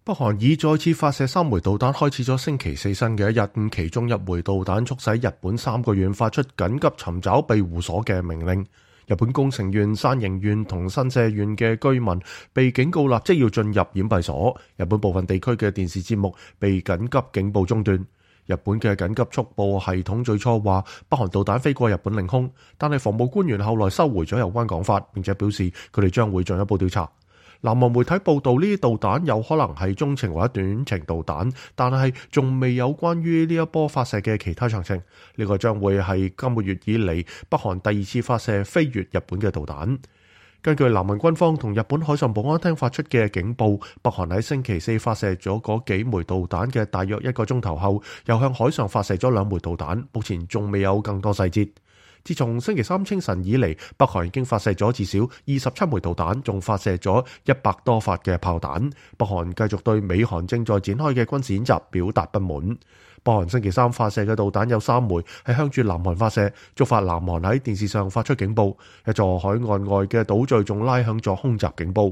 北韓已再次發射3枚導彈，開始咗星期四新嘅一日。其中1枚導彈促使日本3個縣發出緊急尋找庇護所嘅命令。日本宮城縣、山形縣同新社縣嘅居民被警告立即要進入掩蔽所。日本部分地區嘅電視節目被緊急警報中斷。日本嘅緊急速報系統最初話北韓導彈飛過日本領空，但係防務官員後來收回咗有關講法，並且表示佢哋將會進一步調查。南韓媒體報道，呢啲導彈有可能係中程或者短程導彈，但係仲未有關於呢一波發射嘅其他詳情。呢個將會係今個月以嚟北韓第2次發射飛越日本嘅導彈。根據南韓軍方同日本海上保安廳發出嘅警報，北韓喺星期四發射咗嗰幾枚導彈嘅大約1個鐘頭後，又向海上發射咗2枚導彈，目前仲未有更多細節。自從星期三清晨以嚟，北韓已經發射咗至少27枚導彈，仲發射咗100多發嘅炮彈。北韓繼續對美韓正在展開嘅軍事演習表達不滿。北韓星期三發射嘅導彈有3枚係向住南韓發射，觸發南韓喺電視上發出警報。一座海岸外嘅島嶼仲拉響咗空襲警報。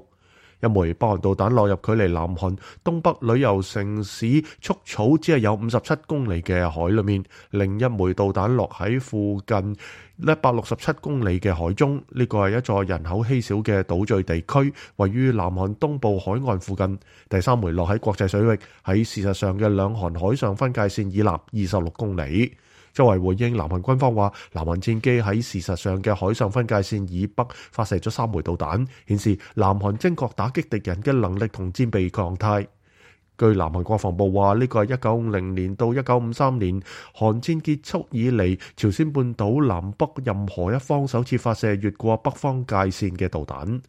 1枚北韓導彈落入距離南韓東北旅遊城市束草只係有57公里嘅海裏面，另1枚導彈落喺附近167公里嘅海中。呢個係一座人口稀少嘅島嶼地區，位於南韓東部海岸附近。第3枚落喺國際水域，喺事實上嘅兩韓海上分界線以南26公里。作為回應，南韓軍方話，南韓戰機喺事實上嘅海上分界線以北發射咗3枚導彈，顯示南韓精確打擊敵人嘅能力同戰備狀態。據南韓國防部話，呢個係1950年到1953年韓戰結束以嚟，朝鮮半島南北任何一方首次發射越過北方界線嘅導彈。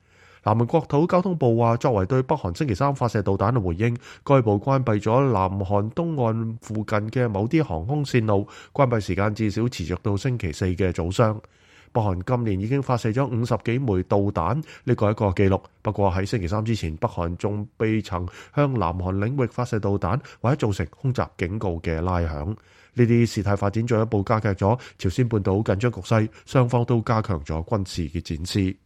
南韓國土交通部話，作為對北韓星期三發射導彈嘅回應，該部關閉咗南韓東岸附近嘅某啲航空線路，關閉時間至少持續到星期四嘅早上。北韓今年已經發射咗50幾枚導彈，呢個係一個紀錄。不過喺星期三之前，北韓仲未曾向南韓領域發射導彈，或者造成空襲警告嘅拉響。呢啲事態發展進一步加劇咗朝鮮半島緊張局勢，雙方都加強咗軍事嘅展示。